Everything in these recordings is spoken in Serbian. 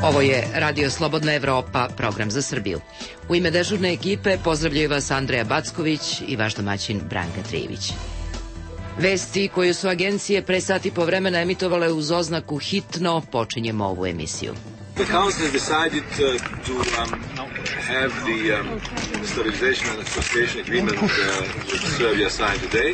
Ovo je Radio Slobodna Evropa, program za Srbiju. U ime dežurne ekipe pozdravljaju vas Andreja Backović i vaš domaćin Branka Trijević. Vesti koju su agencije pre sati po vremena emitovale uz oznaku hitno, počinjemo ovu emisiju. The Council has decided to have the stabilization and association agreement with Serbia signed today.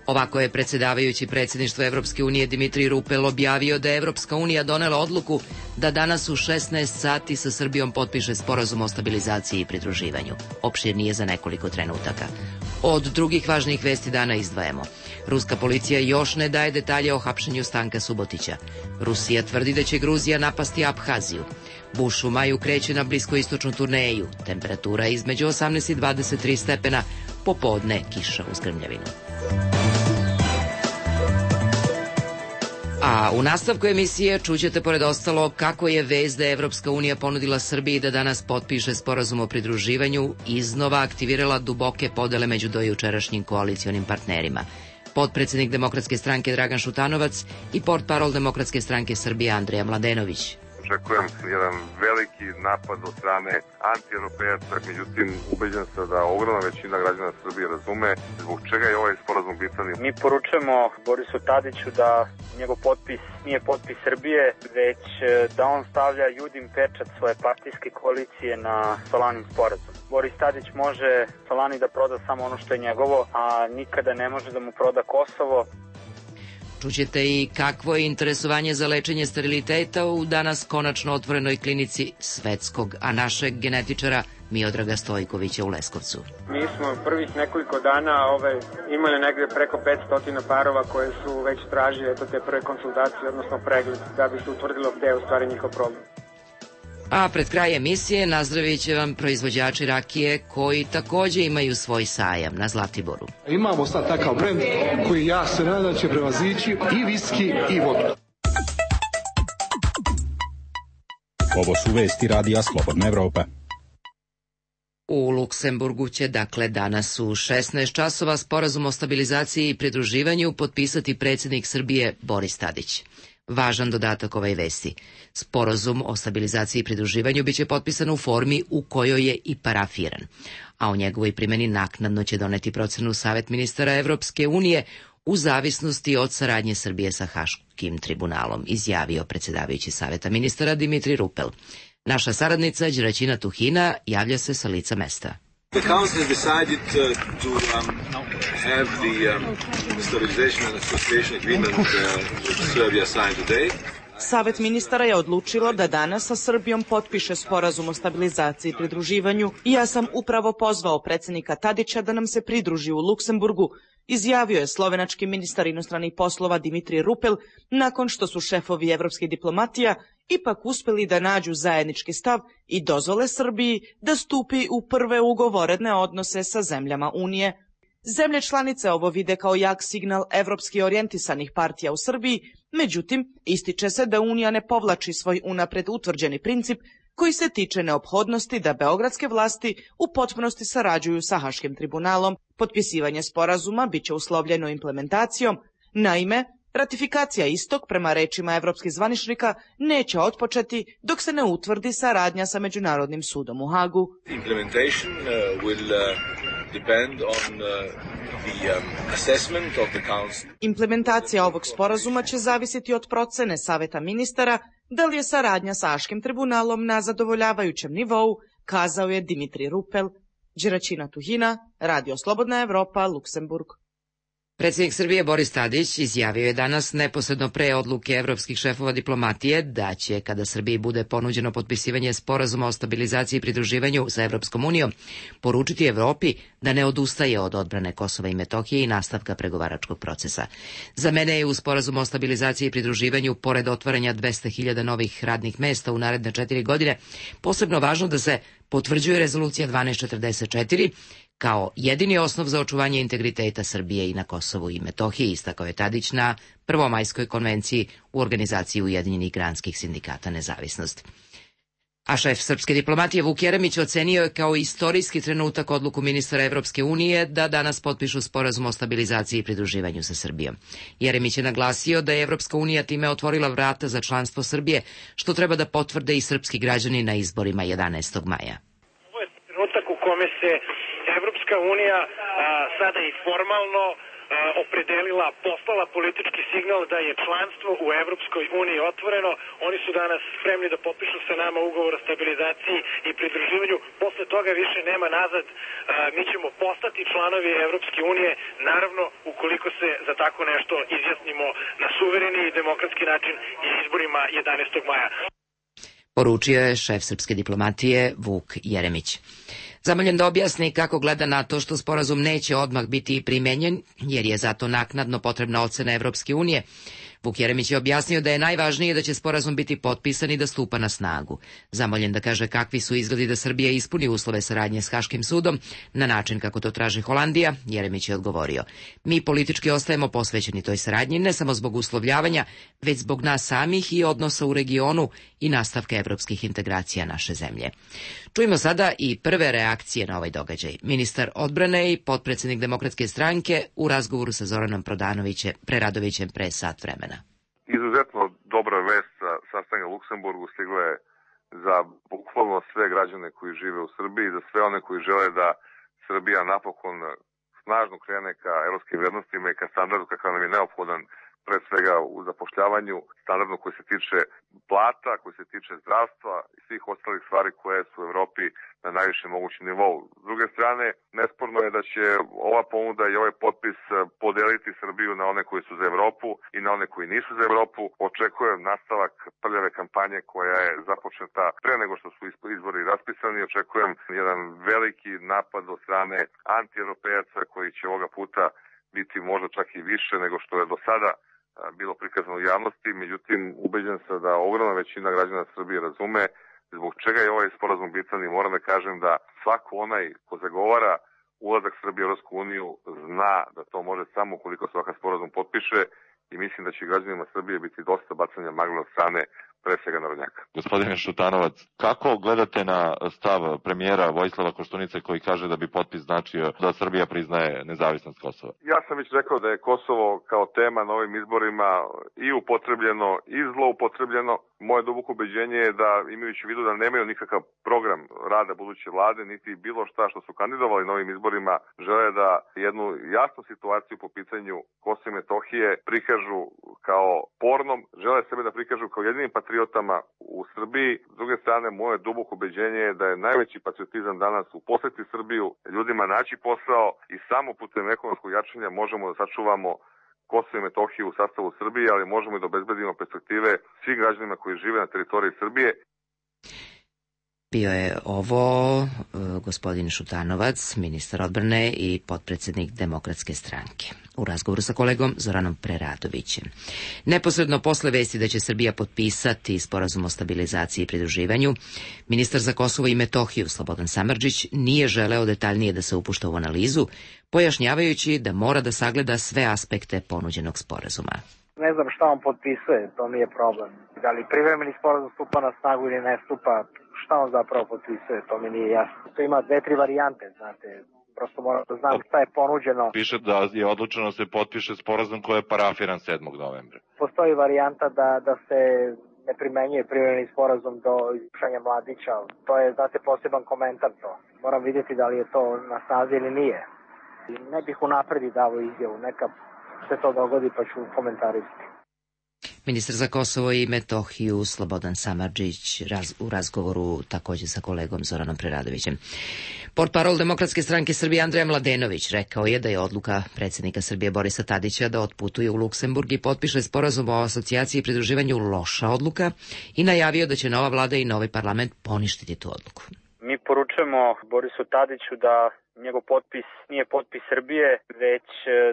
Ovako je predsjedavajući predsjedništva Evropske unije Dimitrij Rupel objavio da je Evropska unija donela odluku da danas u 16 sati sa Srbijom potpiše sporazum o stabilizaciji i pridruživanju. Opširnije za nekoliko trenutaka. Od drugih važnih vesti dana izdvajamo. Ruska policija još ne daje detalje o hapšenju Stanka Subotića. Rusija tvrdi da će Gruzija napasti Abhaziju. Bush u maju kreće na bliskoistočnu turneju. Temperatura između 18 i 23 stepena, popodne kiša uz grmljavinu. A u nastavku emisije čućete pored ostalo kako je vest da je Evropska unija ponudila Srbiji da danas potpiše sporazum o pridruživanju iznova aktivirala duboke podele među dojučerašnjim koalicionim partnerima. Potpredsjednik Demokratske stranke Dragan Šutanovac i portparol Demokratske stranke Srbije Andrija Mladenović. Očekujem jedan veliki napad od strane anti-europejaca, međutim ubeđen sam da ogromna većina građana Srbije razume zbog čega je ovaj sporazum bitan. Mi poručujemo Borisu Tadiću da njegov potpis nije potpis Srbije, već da on stavlja Judin pečat svoje partijske koalicije na Solanin sporazum. Boris Tadić može Solani da proda samo ono što je njegovo, a nikada ne može da mu proda Kosovo. Čućete i kakvo je interesovanje za lečenje steriliteta u danas konačno otvorenoj klinici svetskog, a našeg genetičara Miodraga Stojkovića u Leskovcu. Mi smo prvih nekoliko dana imali negde preko 500 parova koje su već tražili te prve konsultacije, odnosno pregled, da bi se utvrdilo gde je u stvari njihov problem. A pred kraj emisije nazdravit će vam proizvođači rakije koji takođe imaju svoj sajam na Zlatiboru. Imamo sad takav brend koji ja se nadam će prevazići i viski i vodku. Ovo su vesti Radija Slobodna Evropa. U Luksemburgu će dakle danas u 16 časova sporazum o stabilizaciji i pridruživanju potpisati predsjednik Srbije Boris Tadić. Važan dodatak ovoj vesti. Sporazum o stabilizaciji i pridruživanju biće potpisan u formi u kojoj je i parafiran, a o njegovoj primjeni naknadno će doneti procenu Savet ministara Evropske unije u zavisnosti od saradnje Srbije sa Haškim tribunalom, izjavio predsjedavajući Saveta ministara Dimitrij Rupel. Naša saradnica Đeraćina Tuhina javlja se sa lica mesta. The Council has decided to have the stabilization and association agreement with Serbia signed today. Savet ministara je odlučilo da danas sa Srbijom potpiše sporazum o stabilizaciji i pridruživanju i ja sam upravo pozvao predsjednika Tadića da nam se pridruži u Luksemburgu, izjavio je slovenački ministar inostranih poslova Dimitrij Rupel nakon što su šefovi evropskih diplomatija ipak uspeli da nađu zajednički stav i dozvole Srbiji da stupi u prve ugovorene odnose sa zemljama Unije. Zemlje članice ovo vide kao jak signal evropski orijentisanih partija u Srbiji, međutim, ističe se da Unija ne povlači svoj unapred utvrđeni princip koji se tiče neophodnosti da beogradske vlasti u potpunosti sarađuju sa Haškim tribunalom. Potpisivanje sporazuma biće uslovljeno implementacijom. Naime, ratifikacija istog, prema rečima evropskih zvaničnika, neće otpočeti dok se ne utvrdi saradnja sa Međunarodnim sudom u Hagu. Implementation will depend on the assessment of the council. Implementacija ovog sporazuma će zavisiti od procene Saveta ministara da li je saradnja sa Haškim tribunalom na zadovoljavajućem nivou, kazao je Dimitrij Rupel. Đeraćina Tuhina, Radio Slobodna Evropa, Luksemburg. Predsjednik Srbije Boris Tadić izjavio je danas neposredno pre odluke evropskih šefova diplomatije da će, kada Srbiji bude ponuđeno potpisivanje sporazuma o stabilizaciji i pridruživanju sa Evropskom unijom, poručiti Evropi da ne odustaje od odbrane Kosova i Metohije i nastavka pregovaračkog procesa. Za mene je u sporazumu o stabilizaciji i pridruživanju, pored otvaranja 200.000 novih radnih mesta u naredne 4 godine, posebno važno da se potvrđuje rezolucija 1244, kao jedini osnov za očuvanje integriteta Srbije i na Kosovu i Metohiji, istakao je Tadić na Prvomajskoj konvenciji u organizaciji Ujedinjenih granskih sindikata Nezavisnost. A šef srpske diplomatije Vuk Jeremić ocenio je kao istorijski trenutak odluku ministara Evropske unije da danas potpišu sporazum o stabilizaciji i pridruživanju sa Srbijom. Jeremić je naglasio da je Evropska unija time otvorila vrata za članstvo Srbije, što treba da potvrde i srpski građani na izborima 11. maja. Ovo je trenutak u kome se Evropska unija sada i formalno opredelila, poslala politički signal da je članstvo u Evropskoj uniji otvoreno. Oni su danas spremni da potpišu sa nama ugovor o stabilizaciji i pridruživanju. Posle toga više nema nazad. Mi ćemo postati članovi Evropske unije, naravno ukoliko se za tako nešto izjasnimo na suvereni i demokratski način i izborima 11. maja. Poručio je šef srpske diplomatije Vuk Jeremić. Zamoljen da objasni kako gleda na to što sporazum neće odmah biti primenjen, jer je zato naknadno potrebna ocena Evropske unije, Vuk Jeremić je objasnio da je najvažnije da će sporazum biti potpisan i da stupa na snagu. Zamoljen da kaže kakvi su izgledi da Srbija ispuni uslove saradnje s Haškim sudom na način kako to traži Holandija, Jeremić je odgovorio: mi politički ostajemo posvećeni toj saradnji ne samo zbog uslovljavanja, već zbog nas samih i odnosa u regionu i nastavka evropskih integracija naše zemlje. Čujemo sada i prve reakcije na ovaj događaj. Ministar odbrane i potpredsednik Demokratske stranke u razgovoru sa Zoranom Preradovićem pre sat vremena. Izuzetno dobra vest sa sastanka u Luksemburgu stigla je za bukvalno sve građane koji žive u Srbiji, za sve one koji žele da Srbija napokon snažno krene ka evropskim vrednostima i ka standardu kakav nam je neophodan, pre svega u zapošljavanju, standardno koji se tiče plata, koji se tiče zdravstva i svih ostalih stvari koje su u Evropi na najvišem mogućem nivou. S druge strane, nesporno je da će ova ponuda i ovaj potpis podeliti Srbiju na one koji su za Evropu i na one koji nisu za Evropu. Očekujem nastavak prljave kampanje koja je započeta pre nego što su izbori raspisani. Očekujem jedan veliki napad od strane anti-europejaca koji će ovoga puta biti možda čak i više nego što je do sada bilo prikazano u javnosti, međutim ubeđen sam da ogromna većina građana Srbije razume zbog čega je ovaj sporazum bitan i moram da kažem da svako onaj ko zagovara ulazak Srbije u Evropsku uniju zna da to može samo ukoliko se ovakav sporazum potpiše i mislim da će građanima Srbije biti dosta bacanja magle od strane pre svega narodnjaka. Gospodine Šutanovac, kako gledate na stav premijera Vojislava Koštunice koji kaže da bi potpis značio da Srbija priznaje nezavisnost Kosova? Ja sam već rekao da je Kosovo kao tema na ovim izborima i upotrebljeno i zloupotrebljeno. Moje duboko ubeđenje je da, imajući u vidu da nemaju nikakav program rada buduće vlade, niti bilo šta što su kandidovali na ovim izborima, žele da jednu jasnu situaciju po pitanju Kosova i Metohije prikažu kao pornom, žele sebe da prikažu kao jedinim patriotama u Srbiji. S druge strane, moje duboko ubeđenje je da je najveći patriotizam danas uposliti Srbiju, ljudima naći posao i samo putem ekonomskog jačanja možemo da sačuvamo Kosovo i Metohiju u sastavu Srbije, ali možemo i da obezbedimo perspektive svim građanima koji žive na teritoriji Srbije. Bio je ovo gospodin Šutanovac, ministar odbrane i potpredsednik Demokratske stranke, u razgovoru sa kolegom Zoranom Preradovićem. Neposredno posle vesti da će Srbija potpisati sporazum o stabilizaciji i pridruživanju, ministar za Kosovo i Metohiju Slobodan Samardžić nije želeo detaljnije da se upušta u analizu, pojašnjavajući da mora da sagleda sve aspekte ponuđenog sporazuma. Ne znam šta on potpisuje, to mi je problem. Da li privremeni sporazum stupa na snagu ili ne stupa, šta on zapravo potpisuje, to mi nije jasno. To ima 2-3 varijante, znate, prosto moram da znam šta je ponuđeno. Piše da je odlučeno se potpiše sporazum koji je parafiran 7. novembra. Postoji varijanta da se ne primenjuje privremeni sporazum do izvršenja Mladića. To je, znate, poseban komentar to. Moram vidjeti da li je to na snazi ili nije. Ne bih unapredi davao izjavu, neka se to dogodi pa ću komentarisati. Ministar za Kosovo i Metohiju Slobodan Samardžić u razgovoru takođe sa kolegom Zoranom Preradovićem. Portparol Demokratske stranke Srbije Andreja Mladenović rekao je da je odluka predsjednika Srbije Borisa Tadića da otputuje u Luksemburg i potpiše sporazum o asocijaciji i pridruživanju loša odluka i najavio da će nova vlada i novi parlament poništiti tu odluku. Mi poručujemo Borisu Tadiću da njegov potpis nije potpis Srbije, već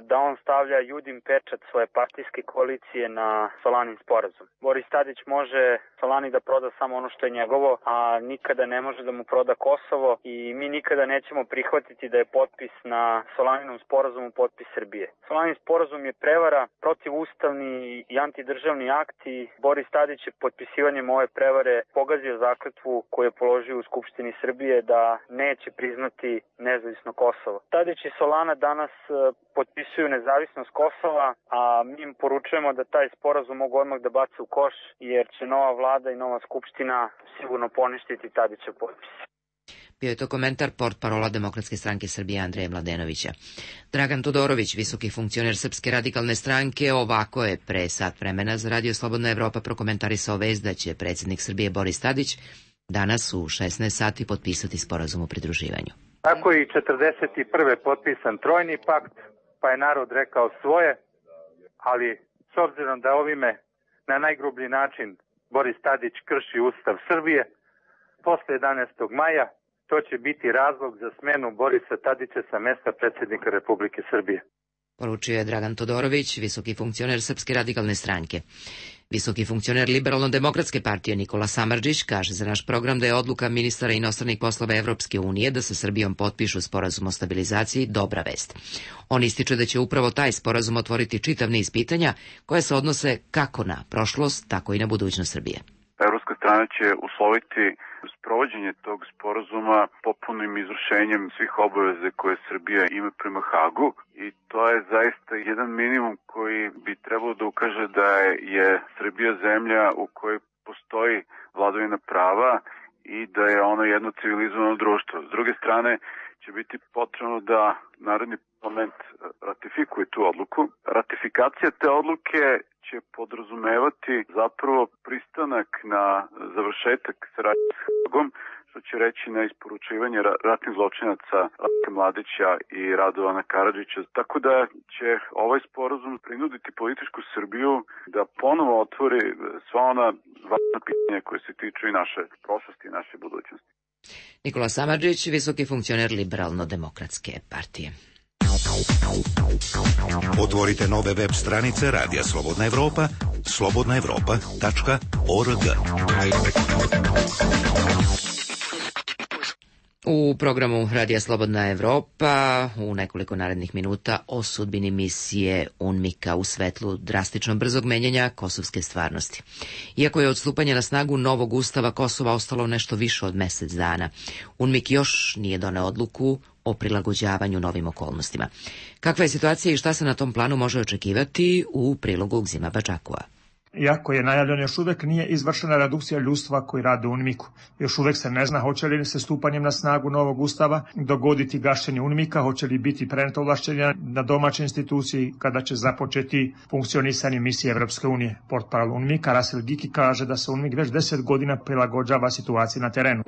da on stavlja Judin pečat svoje partijske koalicije na Solanin sporazum. Boris Tadić može Solani da proda samo ono što je njegovo, a nikada ne može da mu proda Kosovo i mi nikada nećemo prihvatiti da je potpis na Solaninom sporazumu potpis Srbije. Solanin sporazum je prevara, protivustavni i antidržavni akt i Boris Tadić je potpisivanjem ove prevare pogazio zakletvu koju je položio u Skupštini Srbije da neće priznati nezavisno Kosovo. Tadić i Solana danas potpisuju nezavisnost Kosova, a mi im poručujemo da taj sporazum mogu odmah da bace u koš, jer će nova vlada i nova skupština sigurno poništiti Tadićev potpis. Bio je to komentar portparola Demokratske stranke Srbije Andreja Mladenovića. Dragan Todorović, visoki funkcioner Srpske radikalne stranke, ovako je pre sat vremena za Radio Slobodna Evropa prokomentarisao vest da će predsjednik Srbije Boris Tadić danas u 16 sati potpisati sporazum o pridruživanju. Tako je i 41. potpisan trojni pakt, pa je narod rekao svoje, ali s obzirom da ovime na najgrublji način Boris Tadić krši Ustav Srbije, posle 11. maja to će biti razlog za smenu Borisa Tadića sa mesta predsjednika Republike Srbije. Poručio je Dragan Todorović, visoki funkcioner Srpske radikalne stranke. Visoki funkcioner Liberalno-demokratske partije Nikola Samardžić kaže za naš program da je odluka ministara inostranih poslova Evropske unije da sa Srbijom potpišu sporazum o stabilizaciji dobra vest. On ističe da će upravo taj sporazum otvoriti čitav niz pitanja koje se odnose kako na prošlost, tako i na budućnost Srbije. Evropska strana će usloviti sprovođenje tog sporazuma popunim izvršenjem svih obaveze koje Srbija ima prema Hagu i to je zaista jedan minimum koji bi trebalo da ukaže da je Srbija zemlja u kojoj postoji vladavina prava i da je ono jedno civilizovano društvo. S druge strane će biti potrebno da Narodni parlament ratifikuje tu odluku. Ratifikacija te odluke će podrazumevati zapravo pristanak na završetak saradnje s Hagom, što će reći na isporučivanje ratnih zločinaca Ratka Mladića i Radovana Karadžića. Tako da će ovaj sporazum prinuditi političku Srbiju da ponovo otvori sva ona važna pitanja koje se tiču i naše prošlosti i naše budućnosti. Nikola Samardžić, visoki funkcioner Liberalno-demokratske partije. Otvorite nove web stranice Radija Slobodna Evropa, slobodnaevropa.org. U programu Radija Slobodna Evropa u nekoliko narednih minuta o sudbini misije UNMIK-a u svetlu drastično brzog menjanja kosovske stvarnosti. Iako je od stupanja na snagu novog ustava Kosova ostalo nešto više od mesec dana, UNMIK još nije doneo odluku o prilagođavanju novim okolnostima. Kakva je situacija i šta se na tom planu može očekivati u prilogu Gzima Bačakua? Iako je najavljeno, još uvek nije izvršena redukcija ljudstva koji rade u UNMIK-u. Još uvek se ne zna hoće li se stupanjem na snagu novog ustava dogoditi gašenje UNMIK-a, hoće li biti preneto ovlašćenja na domaće institucije kada će započeti funkcionisanje misije Evropske unije. Portparol UNMIK-a Rasil Giki kaže da se UNMIK već 10 godina prilagođava situaciji na terenu.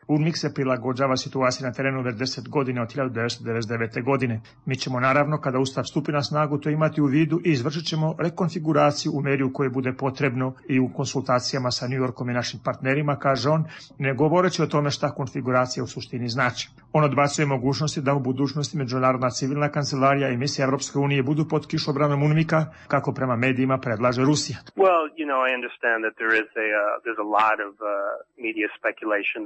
UNMIK se prilagođava situaciji na terenu već 10 godina od 1999. godine. Mi ćemo naravno kada ustav stupi na snagu to imati u vidu i izvršiti ćemo rekonfiguraciju u meri u kojoj bude potrebno i u konsultacijama sa New Yorkom i našim partnerima, kaže on, ne govoreći o tome šta konfiguracija u suštini znači. On odbacuje mogućnosti da u budućnosti Međunarodna civilna kancelarija i misija Evropske unije budu pod kišobranom UNMIK-a, kako prema medijima predlaže Rusija. I understand that there's a lot of media speculation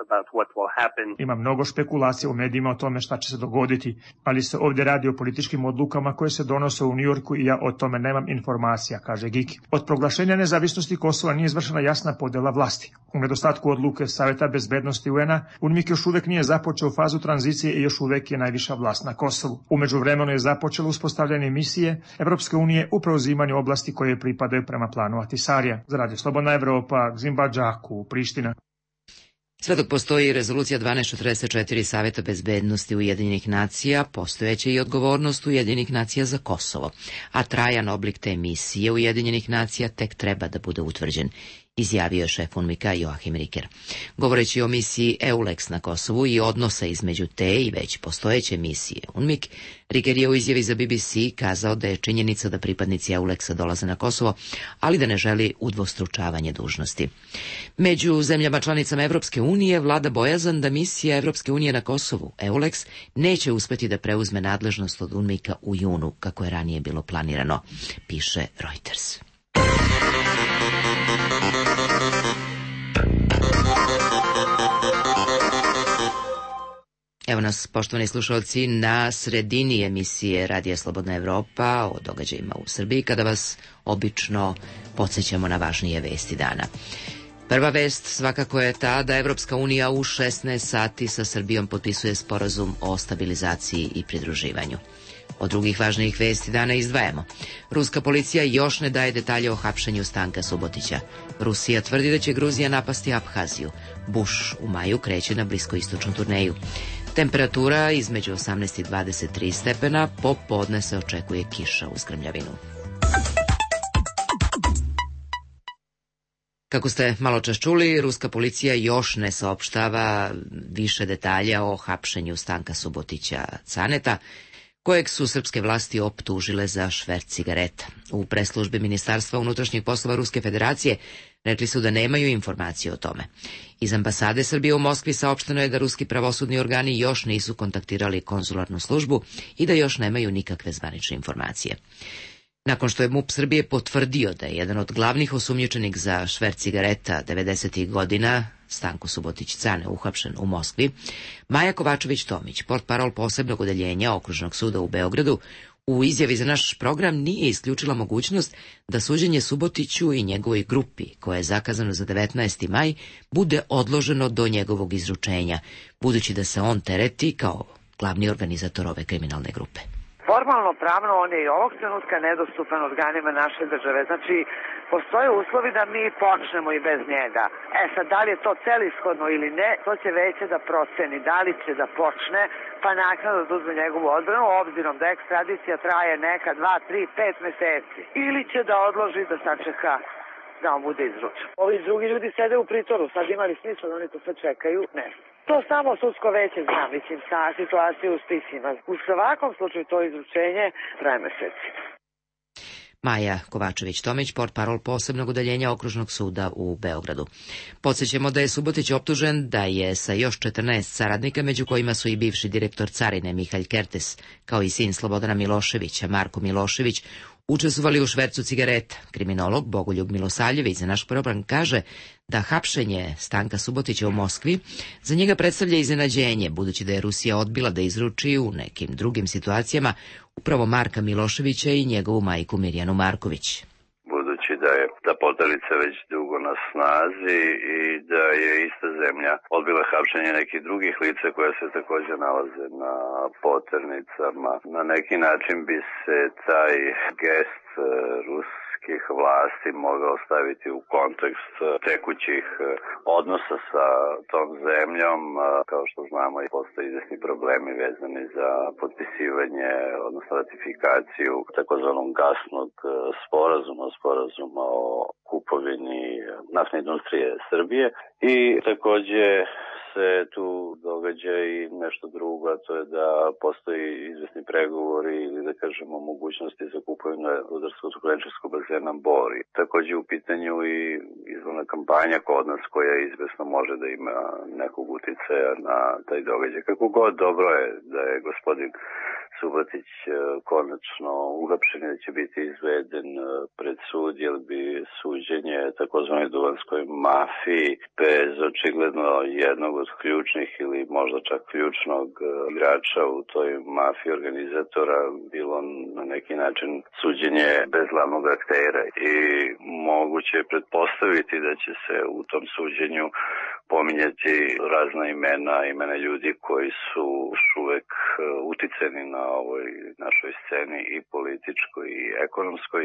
about what will happen. Ima mnogo špekulacija u medijima o tome šta će se dogoditi, ali se ovdje radi o političkim odlukama koje se donose u New Yorku i ja o tome nemam informacija, kaže Giki. Od proglašenja nezavisnosti Kosova nije izvršena jasna podjela vlasti. U nedostatku odluke Saveta bezbednosti UN-a, UNMIK još uvek nije započeo fazu tranzicije i još uvek je najviša vlast na Kosovu. U međuvremenu je započelo uspostavljanje misije Evropske unije u preuzimanju oblasti koje pripadaju prema planu Ahtisarija. Za Radio Slobodna Evropa, Gzim Bačaku, Priština. Sve dok postoji rezolucija 1244 Saveta bezbednosti Ujedinjenih nacija, postojeće i odgovornost Ujedinjenih nacija za Kosovo, a trajan oblik te misije Ujedinjenih nacija tek treba da bude utvrđen. izjavio je šef UNMIK-a Joachim Ricker. Govoreći o misiji EULEX na Kosovu i odnosa između te i već postojeće misije UNMIK, Ricker je u izjavi za BBC kazao da je činjenica da pripadnici EULEX-a dolaze na Kosovo, ali da ne želi udvostručavanje dužnosti. Među zemljama članicama Evropske unije vlada bojazan da misija Evropske unije na Kosovu, EULEX, neće uspeti da preuzme nadležnost od UNMIK-a u junu, kako je ranije bilo planirano, piše Reuters. Evo nas, poštovani slušalci, na sredini emisije Radija Slobodna Evropa o događajima u Srbiji, kada vas obično podsjećamo na važnije vesti dana. Prva vest svakako je ta da Evropska unija u 16 sati sa Srbijom potpisuje sporazum o stabilizaciji i pridruživanju. Od drugih važnijih vesti dana izdvajamo. Ruska policija još ne daje detalje o hapšenju Stanka Subotića. Rusija tvrdi da će Gruzija napasti Abhaziju. Bush u maju kreće na bliskoistočnu turneju. Temperatura između 18 i 23 stepena, popodne se očekuje kiša uz grmljavinu. Kako ste malo čas čuli, ruska policija još ne saopštava više detalja o hapšenju Stanka Subotića Caneta, kojeg su srpske vlasti optužile za šverc cigareta. U preslužbi Ministarstva unutrašnjih poslova Ruske federacije rekli su da nemaju informacije o tome. Iz ambasade Srbije u Moskvi saopšteno je da ruski pravosudni organi još nisu kontaktirali konzularnu službu i da još nemaju nikakve zvanične informacije. Nakon što je MUP Srbije potvrdio da je jedan od glavnih osumnjičenih za šverc cigareta 90. godina, Stanko Subotić Cane, uhapšen u Moskvi, Maja Kovačević-Tomić, portparol posebnog odeljenja Okružnog suda u Beogradu, u izjavi za naš program nije isključila mogućnost da suđenje Subotiću i njegovoj grupi, koje je zakazano za 19. maj, bude odloženo do njegovog izručenja, budući da se on tereti kao glavni organizator ove kriminalne grupe. Formalno pravno on je i ovog trenutka nedostupan organima naše države. Znači, postoje uslovi da mi počnemo i bez njega. Sad, da li je to celishodno ili ne, to će veće da proceni. Da li će da počne, pa naknadno da uzme njegovu odbranu, obzirom da ekstradicija traje neka 2, 3, 5 meseci. Ili će da odloži da sačeka da on bude izručen. Ovi drugi ljudi sede u pritvoru, sad imali smisla da oni to sve čekaju? Ne. To samo sudsko veće zna, mislim, sa situacije u spisima. U svakom slučaju to izručenje traje meseci. Maja Kovačević-Tomić, portparol posebnog odeljenja Okružnog suda u Beogradu. Podsjećamo da je Subotić optužen da je sa još 14 saradnika, među kojima su i bivši direktor carine Mihalj Kertes, kao i sin Slobodana Miloševića, Marko Milošević, učestvovali u švercu cigareta. Kriminolog Bogoljub Milosavljević za naš program kaže da hapšenje Stanka Subotića u Moskvi za njega predstavlja iznenađenje, budući da je Rusija odbila da izruči u nekim drugim situacijama upravo Marka Miloševića i njegovu majku Mirjanu Marković. Budući da je ta potarica već dugo na snazi i da je ista zemlja odbila hapšenje nekih drugih lica koja se također nalaze na poternicama. Na neki način bi se taj gest ruskih vlasti mogao staviti u kontekst tekućih odnosa sa tom zemljom. Kao što znamo, postoje izvesni problemi vezani za potpisivanje, odnosno ratifikaciju takozvanog gasnog sporazuma o kupovini naftne industrije Srbije i takođe se tu događa i nešto drugo, a to je da postoji izvesni pregovori ili da kažemo mogućnosti za kupovinu rudarsko-tukleničarskog bazena Bor. Takođe u pitanju i izvorna kampanja kod nas koja izvesno može da ima nekog uticaja na taj događaj. Kako god, dobro je da je gospodin Subotić konačno uhapšen i da će biti izveden pred sud, jer bi suđenje takozvanoj duvanskoj mafiji bez očigledno jednog od ključnih ili možda čak ključnog igrača u toj mafiji organizatora bilo na neki način suđenje bez glavnog aktera i moguće je pretpostaviti da će se u tom suđenju pominjati razna imena ljudi koji su još uvek uticeni na ovoj našoj sceni i političkoj i ekonomskoj,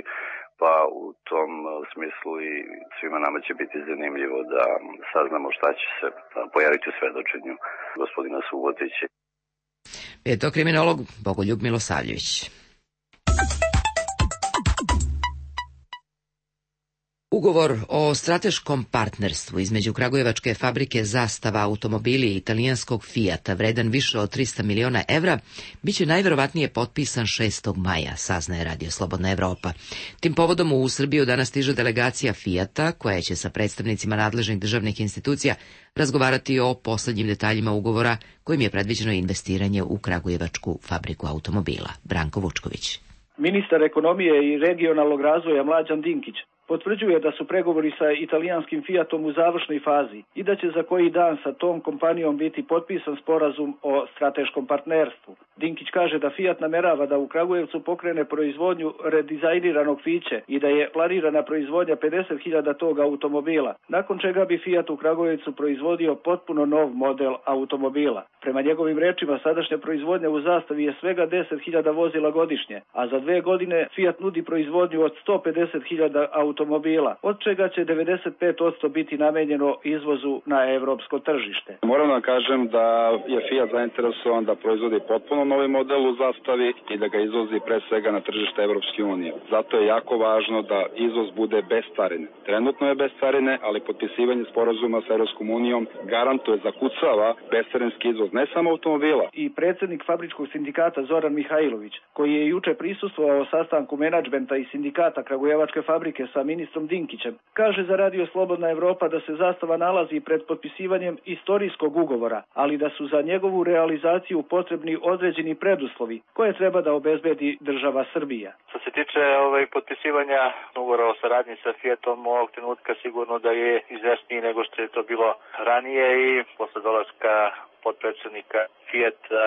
pa u tom smislu i svima nama će biti zanimljivo da saznamo šta će se pojaviti u svedočenju gospodina Subotića. Je to kriminolog Bogoljub Milosavljević. U Ugovor o strateškom partnerstvu između kragujevačke fabrike Zastava automobili i italijanskog Fijata, vredan više od 300 miliona evra, biće najverovatnije potpisan 6. maja, saznaje Radio Slobodna Evropa. Tim povodom u Srbiju danas stiže delegacija Fijata, koja će sa predstavnicima nadležnih državnih institucija razgovarati o poslednjim detaljima ugovora kojim je predviđeno investiranje u kragujevačku fabriku automobila. Branko Vučković. Ministar ekonomije i regionalnog razvoja Mlađan Dinkić potvrđuje da su pregovori sa italijanskim Fijatom u završnoj fazi i da će za koji dan sa tom kompanijom biti potpisan sporazum o strateškom partnerstvu. Dinkić kaže da Fijat namerava da u Kragujevcu pokrene proizvodnju redizajniranog Fiće i da je planirana proizvodnja 50.000 tog automobila, nakon čega bi Fijat u Kragujevcu proizvodio potpuno nov model automobila. Prema njegovim rečima, sadašnja proizvodnja u Zastavi je svega 10.000 vozila godišnje, a za 2 godine Fijat nudi proizvodnju od 150.000 automobila, od čega će 95% biti namenjeno izvozu na evropsko tržište. Moram da kažem da je Fijat zainteresovan da proizvodi potpuno novi model u Zastavi i da ga izvozi pre svega na tržište Evropske unije. Zato je jako važno da izvoz bude bez carine. Trenutno je bez carine, ali potpisivanje sporazuma sa Evropskom unijom garantuje, zakucava bescarinski izvoz ne samo automobila. I predsjednik fabričkog sindikata Zoran Mihajlović, koji je juče prisustvovao sastanku menadžmenta i sindikata Kragujevačke fabrike sa ministrom Dinkićem, kaže za Radio Slobodna Evropa da se Zastava nalazi pred potpisivanjem istorijskog ugovora, ali da su za njegovu realizaciju potrebni određeni preduslovi koje treba da obezbedi država Srbija. Što se tiče potpisivanja ugovora o saradnji sa Fijatom, ovog trenutka sigurno da je izvesniji nego što je to bilo ranije i posle dolaska potpredsjednika Fijata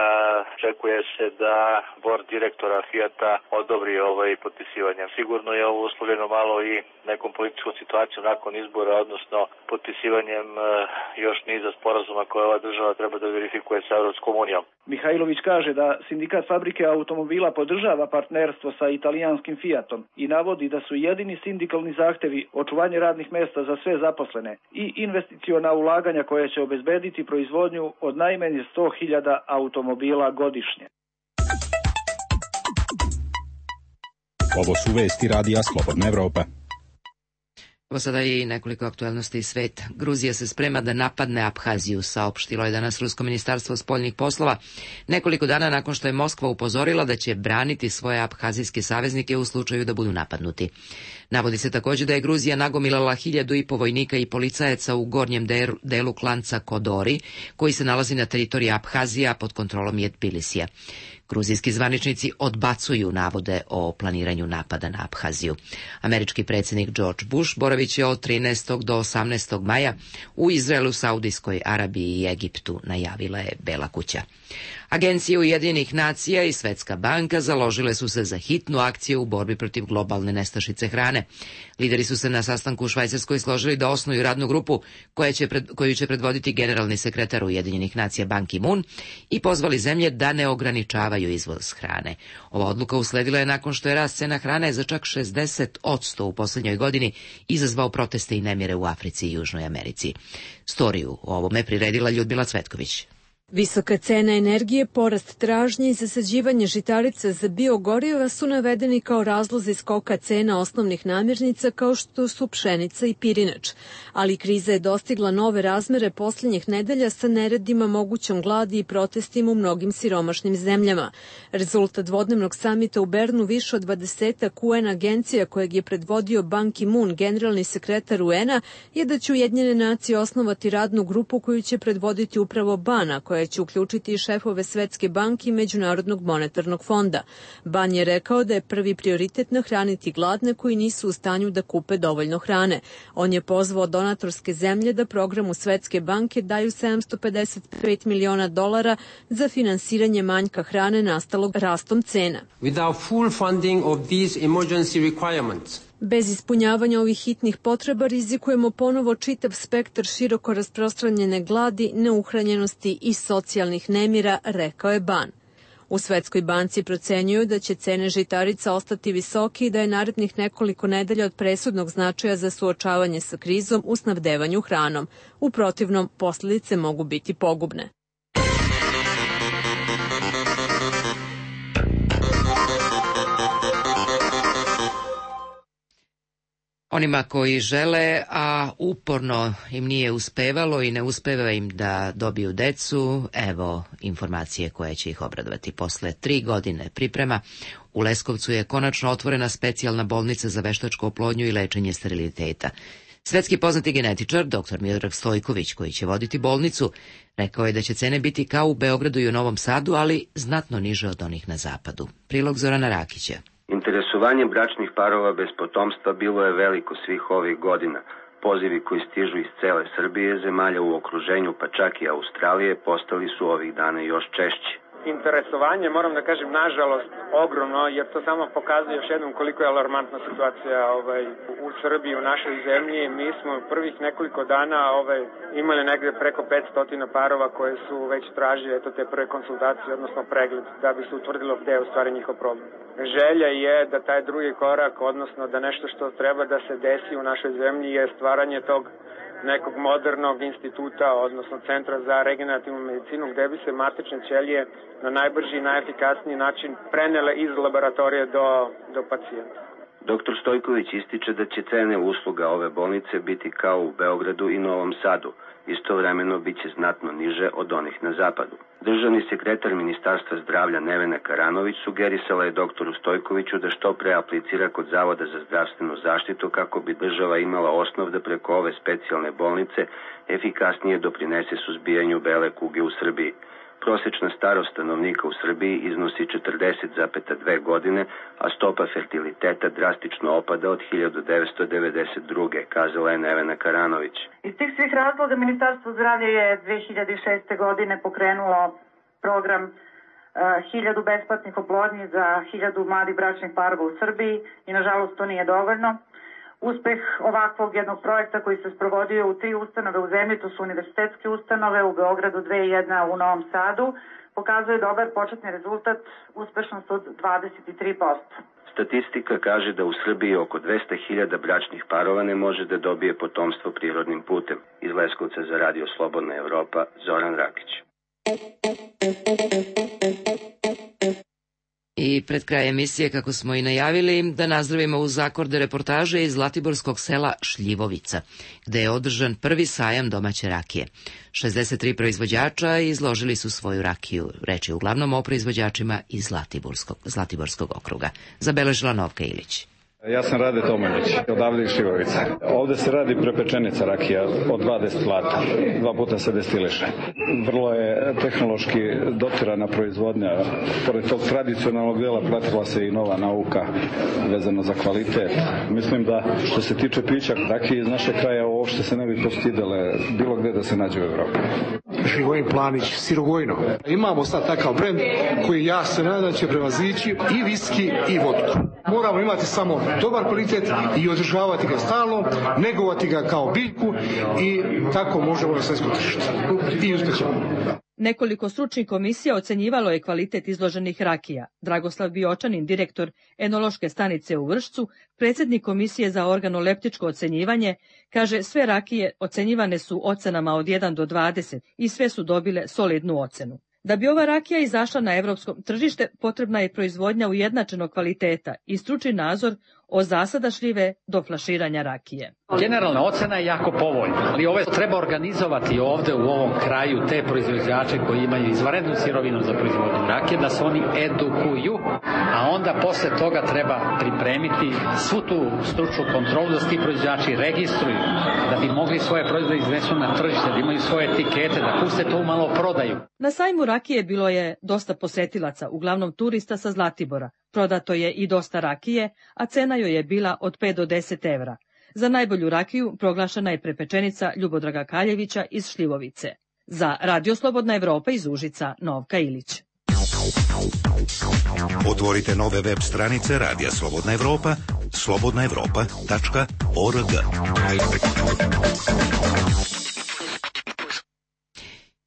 očekuje se da bord direktora Fijata odobri potpisivanje. Sigurno je ovo uslovljeno malo i nekom političkom situacijom nakon izbora, odnosno potpisivanjem još niza sporazuma koje ova država treba da verifikuje sa Evropskom unijom. Mihajlović kaže da sindikat fabrike automobila podržava partnerstvo sa italijanskim Fijatom i navodi da su jedini sindikalni zahtevi očuvanje radnih mesta za sve zaposlene i investiciona ulaganja koje će obezbediti proizvodnju od najmanje 100.000 automobila godišnje. Ovo su vesti Radija Slobodna Evropa. Evo sada i nekoliko aktuelnosti iz sveta. Gruzija se sprema da napadne Abhaziju, saopštilo je danas Rusko ministarstvo spoljnih poslova, nekoliko dana nakon što je Moskva upozorila da će braniti svoje abhazijske saveznike u slučaju da budu napadnuti. Navodi se također da je Gruzija nagomilala 1.500 vojnika i policajaca u gornjem delu klanca Kodori, koji se nalazi na teritoriji Abhazija pod kontrolom Tbilisija. Gruzijski zvaničnici odbacuju navode o planiranju napada na Abhaziju. Američki predsjednik George Bush boravit će od 13. do 18. maja u Izraelu, Saudijskoj Arabiji i Egiptu, najavila je Bela kuća. Agencije Ujedinjenih nacija i Svetska banka založile su se za hitnu akciju u borbi protiv globalne nestašice hrane. Lideri su se na sastanku u Švajcarskoj složili da osnuju radnu grupu koju će predvoditi generalni sekretar Ujedinjenih nacija Ban Ki-moon i pozvali zemlje da ne ograničavaju izvoz hrane. Ova odluka usledila je nakon što je rast cena hrane za čak 60% u posljednjoj godini izazvao proteste i nemire u Africi i Južnoj Americi. Storiju o ovome priredila Ljudmila Cvetković. Visoka cena energije, porast tražnje i zasađivanje žitarica za biogoriva su navedeni kao razlozi skoka cena osnovnih namirnica kao što su pšenica i pirinač. Ali kriza je dostigla nove razmere posljednjih nedelja sa neredima, mogućom gladi i protestima u mnogim siromašnim zemljama. Rezultat dvodnevnog samita u Bernu više od 20 UN agencija kojeg je predvodio Ban Ki-moon, generalni sekretar UN-a, je da će Ujedinjene nacije osnovati radnu grupu koju će predvoditi upravo Bana, koja će uključiti i šefove Svetske banke i Međunarodnog monetarnog fonda. Ban je rekao da je prvi prioritet nahraniti gladne koji nisu u stanju da kupe dovoljno hrane. On je pozvao donatorske zemlje da programu Svetske banke daju $755 miliona za finansiranje manjka hrane nastalog rastom cena. Without full funding of these emergency requirements, bez ispunjavanja ovih hitnih potreba rizikujemo ponovo čitav spektar široko rasprostranjene gladi, neuhranjenosti i socijalnih nemira, rekao je Ban. U Svetskoj banci procenjuju da će cene žitarica ostati visoke i da je narednih nekoliko nedelja od presudnog značaja za suočavanje sa krizom u snabdevanju hranom. U protivnom, posljedice mogu biti pogubne. Onima koji žele, a uporno im nije uspevalo i ne uspeva im da dobiju decu, evo informacije koje će ih obradovati. Posle 3 godine priprema, u Leskovcu je konačno otvorena specijalna bolnica za veštačku oplodnju i lečenje steriliteta. Svetski poznati genetičar, dr. Miodrag Stojković, koji će voditi bolnicu, rekao je da će cene biti kao u Beogradu i u Novom Sadu, ali znatno niže od onih na zapadu. Prilog Zorana Rakića. Interesovanje bračnih parova bez potomstva bilo je veliko svih ovih godina. Pozivi koji stižu iz cele Srbije, zemalja u okruženju, pa čak i Australije, postali su ovih dana još češći. Interesovanje, moram da kažem, nažalost, ogromno, jer to samo pokazuje još jednom koliko je alarmantna situacija u Srbiji, u našoj zemlji. Mi smo prvih nekoliko dana imali negde preko 500 parova koje su već tražili te prve konsultacije, odnosno pregled, da bi se utvrdilo gde je u stvari njihov problem. Želja je da taj drugi korak, odnosno da nešto što treba da se desi u našoj zemlji je stvaranje tog nekog modernog instituta, odnosno centra za regenerativnu medicinu, gde bi se matične ćelije na najbrži i najefikasniji način prenele iz laboratorije do pacijenta. Dr. Stojković ističe da će cene usluga ove bolnice biti kao u Beogradu i Novom Sadu. Istovremeno biće znatno niže od onih na zapadu. Državni sekretar Ministarstva zdravlja Nevena Karanović sugerisala je doktoru Stojkoviću da što pre aplicira kod Zavoda za zdravstvenu zaštitu kako bi država imala osnov da preko ove specijalne bolnice efikasnije doprinese suzbijanju bele kuge u Srbiji. Prosečna starost stanovnika u Srbiji iznosi 40,2 godine, a stopa fertiliteta drastično opada od 1992. kazala je Nevena Karanović. Iz tih svih razloga Ministarstvo zdravlja je 2006. godine pokrenulo program 1000 besplatnih oplodnji za 1000 mladih bračnih parova u Srbiji i nažalost to nije dovoljno. Uspeh ovakvog jednog projekta koji se sprovodio u 3 ustanove u zemlji, to su univerzitetske ustanove u Beogradu 2 i 1 u Novom Sadu, pokazuje dobar početni rezultat, uspešnost od 23%. Statistika kaže da u Srbiji oko 200.000 bračnih parova ne može da dobije potomstvo prirodnim putem. Iz Leskovca za Radio Slobodna Evropa, Zoran Rakić. I pred kraj emisije, kako smo i najavili, da nazdravimo uz akorde reportaže iz zlatiborskog sela Šljivovica, gde je održan prvi sajam domaće rakije. 63 proizvođača izložili su svoju rakiju. Reč je uglavnom o proizvođačima iz Zlatiborskog okruga. Zabeležila Novka Ilić. Ja sam Rade Tomanjić, odavde iz Šljivovica. Ovde se radi prepečenica rakija od 2 destilata, 2 puta se destiliše. Vrlo je tehnološki dotirana proizvodnja. Pored tog tradicionalnog dela pratila se i nova nauka vezana za kvalitet. Mislim da što se tiče pića rakije iz našeg kraja uopšte se ne bi postidele bilo gde da se nađe u Evropi. Živojin Planić, Sirogojno. Imamo sad takav brend koji ja se nadam da će prevazići i viski i vodku. Moramo imati samo dobar kvalitet i održavati ga stalno, negovati ga kao biljku i tako možemo na svetskom tržištu. I uspešno. Nekoliko stručnih komisija ocenjivalo je kvalitet izloženih rakija. Dragoslav Biočanin, direktor enološke stanice u Vršcu, predsjednik komisije za organoleptičko ocenjivanje, kaže sve rakije ocenjivane su ocenama od 1 do 20 i sve su dobile solidnu ocenu. Da bi ova rakija izašla na evropskom tržište, potrebna je proizvodnja ujednačenog kvaliteta i stručni nadzor od zasada šljive do flaširanja rakije. Generalna ocena je jako povoljna, ali ovo treba organizovati ovde u ovom kraju te proizvođače koji imaju izvanrednu sirovinu za proizvodnju rakije, da se oni edukuju, a onda posle toga treba pripremiti svu tu stručnu kontrolu da se ti proizvođači registruju, da bi mogli svoje proizvode iznesu na tržište, da imaju svoje etikete, da puste to malo prodaju. Na sajmu rakije bilo je dosta posetilaca, uglavnom turista sa Zlatibora. Prodato je i dosta rakije, a cena joj je bila od 5 do 10 evra. Za najbolju rakiju proglašena je prepečenica Ljubodraga Kaljevića iz Šljivovice. Za Radio Slobodna Evropa iz Užica, Novka Ilić. Otvorite nove web stranice Radija Slobodna Evropa, slobodnaevropa.org.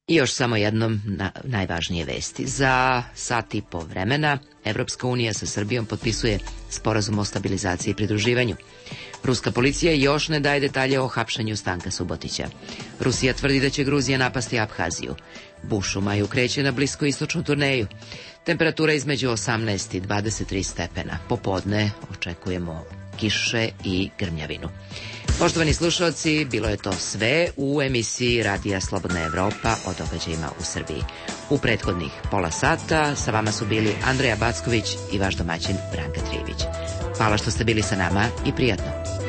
I još samo jednom najvažnije vesti. Za sat i po vremena Evropska unija sa Srbijom potpisuje sporazum o stabilizaciji i pridruživanju. Ruska policija još ne daje detalje o hapšenju Stanka Subotića. Rusija tvrdi da će Gruzija napasti Abhaziju. Bush u maju kreće na bliskoistočnu turneju. Temperatura između 18 i 23 stepena. Popodne očekujemo kiše i grmljavinu. Poštovani slušalci, bilo je to sve u emisiji Radija Slobodna Evropa o događajima u Srbiji. U prethodnih pola sata sa vama su bili Andreja Backović i vaš domaćin Branka Trijević. Hvala što ste bili sa nama i prijatno.